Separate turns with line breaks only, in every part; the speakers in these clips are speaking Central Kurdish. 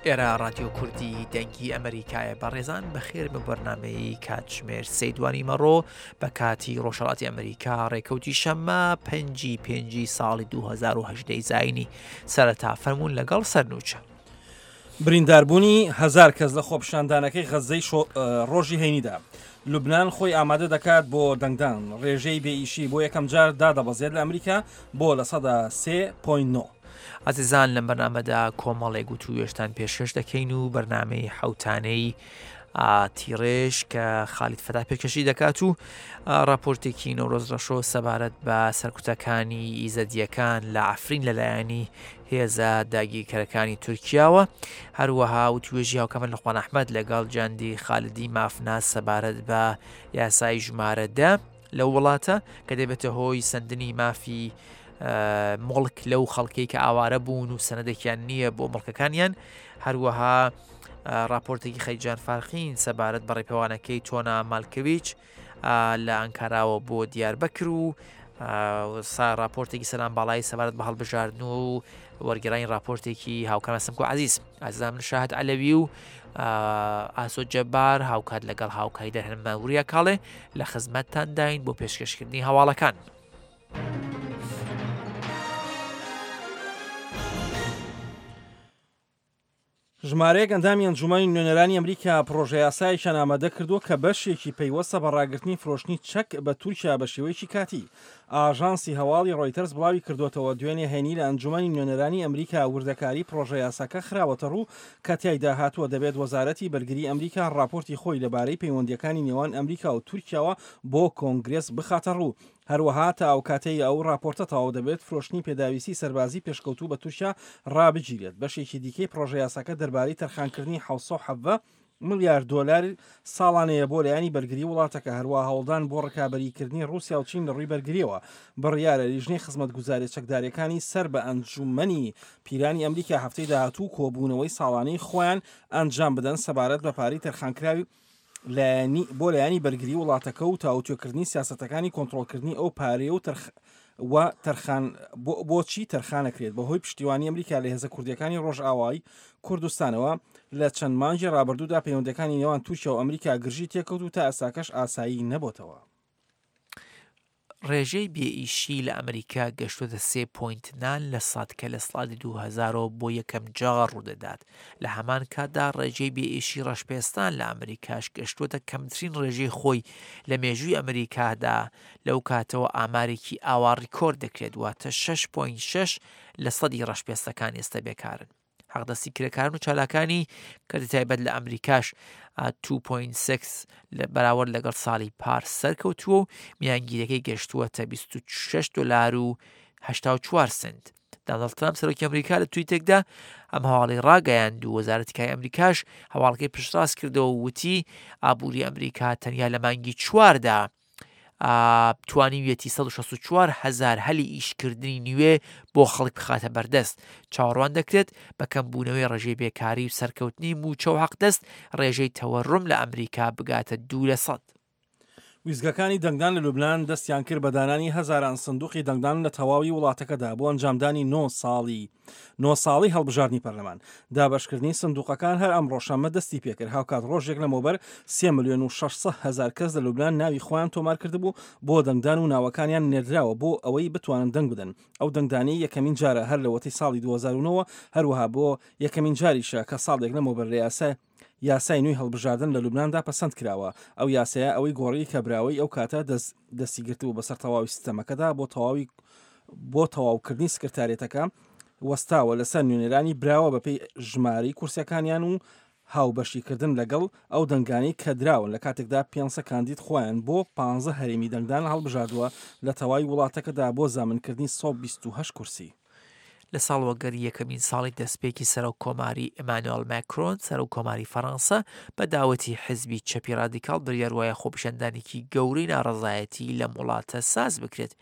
ئێرە ڕادیۆ کوردی دەنگی ئەمریکایە بەڕێزان بەخێر بە بەرنمەی کاتژمێر سەیدوانی مەڕۆ بە کاتی ڕۆژهڵاتی ئەمریکا ڕێکەوتی شەممە پەنجی پێنجی ساڵی 2010 زینی سەرەتا فەرمونون لەگەڵ سەرنوچە.
برینداربوونی هەزار کەس لە خۆپیشاندانەکەی غەززەی ڕۆژی هەینیدا، لوبنان خۆی ئامادە دەکات بۆ دەنگدان، ڕێژەی بێ ئیشی بۆ یەکەمجار دادەبەزێت لە ئەمریکا بۆ 3.9%.
ئازیزان لەم بەرنامەدا کۆمەڵێک وتووێژتان پێشکەش دەکەین و بەرنامەی حەوتانەی تیڕێژ کە خالید فەتا پێکەشی دەکات و راپۆرتێکی نەورۆز ڕەشۆ سەبارەت بە سەرکوتەکانی ئیزەدیەکان لە عفرین لەلایەنی هێزە داگیرکەرەکانی تورکیاوە هەروەها وتوێژی هاوکەمە لەخوان ئەحمد لەگەڵ جاندی خالدی مافناس سەبارەت بە یاسای ژمارە دە لەو وڵاتە کە دەبێتە هۆی سندنی مافی مڵک لەو خەڵکەی کە ئاوارە بوون و سەنەدێکیان نییە بۆ مڵکەکانیان هەروەها راپۆرتێکی خەیجان فارخین سەبارەت بە ڕێپێوانەکەی تۆنا مالکەویچ لە ئەنکاراوە بۆ دیاربەکر و راپۆرتێکی سەلام باڵایی سەبارەت بە هەڵبژاردن و وەرگێرانی راپۆرتێکی هاوکاران سمکۆ عزیز ئازیزان من شاهد عەلەوی و ئاسۆ جەبار هاوکات لەگەڵ هاوکاری دەرهێنەرمان وریا کاڵێ لە خزمەتتانداین بۆ پێشکەشکردنی هەواڵەکان.
ژمارەیەک ئەندامی ئەنجوومەنی نوێنەرانی ئەمریکا پڕۆژەیاسایەکیان ئامادە کردووە کە بەشێکی پەیوەستە بە ڕاگرتنی فرۆشتنی چەک بە تورکیا بە شێوەیەکی کاتی. ئاژانسی هەواڵی ڕۆیتەرز بڵاوی کردووەتەوە، دوێنێ هەینی لە ئەنجوومەنی نوێنەرانی ئەمریکا وردەکاری پڕۆژەیاساکە خراوەتەڕوو کە تیایدا هاتووە دەبێت وەزارەتی بەرگری ئەمریکا ڕاپۆرتی خۆی لەبارەی پەیوەندییەکانی نێوان ئەمریکا و تورکیاوە بۆ کۆنگرێس بخاتەڕوو. هەروەها تا ئەوکاتەی ئەو ڕاپۆرتە تەواو دەبێت، فرۆشتنی پێداویستی سەربازی پێشکەوتوو بە تورکیا ڕابگیرێت. بەشێکی دیکەی پڕۆژەیاساکە دەربارەی تەرخانکردنی 717 ملیار دۆلار ساڵانەیە بۆ لایەنی بەرگری وڵاتەکە، هەروەها هەوڵدان بۆ ڕکابەریکردنی ڕووسیا و چین لە ڕووی بەرگرییەوە. بڕیارە لیژنەی خزمەتگوزارییە چەکدارییەکانی سەر بە ئەنجوومەنی پیرانی ئەمریکا هەفتەی داهاتوو کۆبوونەوەی ساڵانەی خۆیان ئەنجام بدەن سەبارەت بە پارەی تەرخانکراوی لایەنی بۆ لایەنی بەرگری وڵاتەکە و تاوتوێکردنی سیاسەتەکانی کۆنترۆڵکردنی ئەو پارەیە و تەرخ و تەرخان بۆچی تەرخانەکرێت بەهۆی پشتیوانی ئەمریکا لە هێزە کوردیەکانی ڕۆژئاوای کوردستانەوە لە چەند مانگی ڕابردوودا پەیوەندەکانی نێوان تورکیا و ئەمریکا گرژی تێکەوت و تا ئێستاکەش ئاسایی نەبۆتەوە.
ڕێژەی بێ ئیشی لە ئەمریکا گەشتۆتە سێ پۆینت نان لە سەد کە لە سڵالی 2000ەوە بۆ یەکەم جار ڕوودەدات، لە هەمان کاتدا ڕێژەی بێ ئیشی ڕەشپێستان لە ئەمریکاش گەشتۆتە کەمترین ڕێژەی خۆی لە مێژووی ئەمریکادا لەو کاتەوە ئامارێکی ئاوا ڕیکۆرد دەکرێت واتە شەش پۆینت شەش لە سەدی ڕەشپێستەکان ئێستا بێکارن. حەقدەستی کرێکاران و چالاکانی کەرتی تایبەت لە ئەمریکاش 2.6 لە بەراورد لەگەڵ ساڵی پار سەرکەوتووە و میانگیرەکەی گەشتووەتە 26 دلار و 84 سنت. دانڵد ترامپ سەرۆکی ئەمریکا لە تویتێکدا ئەم هەواڵی ڕاگەیاند و وەزارەتی کاری ئەمریکاش هەواڵەکەی پشتڕاست کردەوە و وتی ئابووری ئەمریکا تەنیا لە مانگی چواردا توانیویەتی 164 هەزار هەلی ئیشکردنی نوێ بۆ خەڵک بخاتە بەردەست. چاوەڕوان دەکرێت بە کەمبوونەوەی ڕێژەی بێکاری و سەرکەوتنی مووچە و حەقدەست، ڕێژەی تەوەرم لە ئەمریکا بگاتە دوو لە سەد.
ویستگەکانی دەنگدان لە لوبنان دەستیان کرد بە دانانی هەزاران سندوقی دەنگدان لە تەواوی وڵاتەکەدا بۆ ئەنجامدانی نۆ ساڵی نۆ ساڵەی هەڵبژاردنی پەرلەمان. دابەشکردنی سندوقەکان هەر ئەمڕۆ شەممە دەستی پێکرد، هاوکات ڕۆژێک لەمەوبەر سێ ملیۆن و 600 هەزار کەس لە لوبنان ناوی خۆیان تۆمارکردبوو بۆ دەنگدان و ناوەکانیان نێردراوە بۆ ئەوەی بتوانن دەنگ بدەن. ئەو دەنگدانەی یەکەمین جارە هەر لەوەتەی ساڵی 2009 وە، هەروەها بۆ یەکەمین جاریشە کە ساڵێک لەمەوبەر لە یاسای یاسای نوێی هەڵبژاردن لە لوبناندا پەسەند کراوە. ئەو یاسایە ئەوەی گۆڕی کە براوەی ئەو کاتە دەست دەستی گرتبوو بەسەر تەواوی سیستەمەکەدا بۆ تەواوی بۆ تەواوکردنی سکرتاریەتەکە وەستاوە لەسەر نوێنەرانی براوە بەپێی ژمارەی کورسیەکانیان و هاوبەشیکردن لەگەڵ ئەو دەنگانەی کە دراون لە کاتێکدا 500 کاندید خۆیان بۆ 15 هەرێمی دەنگدان هەڵبژاردووە لە تەواوی وڵاتەکەدا بۆ زامنکردنی 128 کورسی.
لە ساڵوەگەری یەکەمین ساڵی دەستپێکی سەرۆک کۆماری ئیمانوێل ماکرۆن سەرۆک کۆماری فەڕەنسا بە داوەتی حزبی چەپی ڕادیکاڵ بریار وایە خۆپیشاندانێکی گەورەی ناڕەزایەتی لەم وڵاتە ساز بکرێت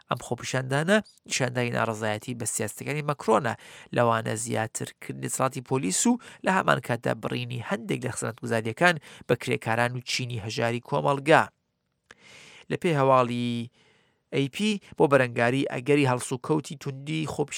ئەم خۆپیشاندانە نیشاندانی ناڕەزایەتی بە سیاستەکانی مەکرۆنە لەوانە زیاتر کردنی دەسەڵاتی پۆلیس و لە هەمان کاتدا بڕینی هەندێک لە خزمەتگوزارییەکان بە کرێکاران و چینی هەژاری کۆمەڵگا. لە پێی هەواڵی AP بۆ بەرەنگاری ئەگەری هەڵسوکەوتی توندی خۆپیشاندەران.